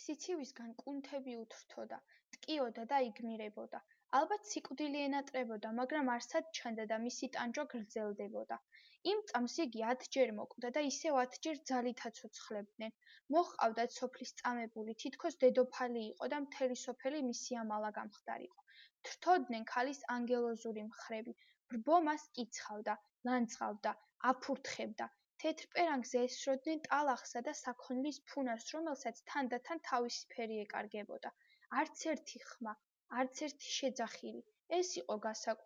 სიცივისგან კუნთები უთრთოდა, ტკიოდა და იგმირებოდა. ალბათ სიკვდილი ენატრებოდა, მაგრამ არსად ჩანდა და მისი ტანჯვა გრძელდებოდა. იმ წამს იგი 10-ჯერ მოკვდა და ისევ 10-ჯერ ძალითაც უცხლებდნენ. მოჰყავდათ სოფლის წამებული, თითქოს დედოფალი იყო და მთელი სოფელი მისი ამალა გამხდარიყო. თრთოდნენ ქალის ანგელოზური მხრები. ბრბო მას კიცხავდა, ლანძღავდა, აფურთხებდა. თეთრ პერანგზე ესროდნენ ტალახსა და საქონლის ფუნას, რომელსაც თანდათან თავისფერი ეკარგებოდა. არც ერთი ხმა, არც ერთი შეძახილი. ეს იყო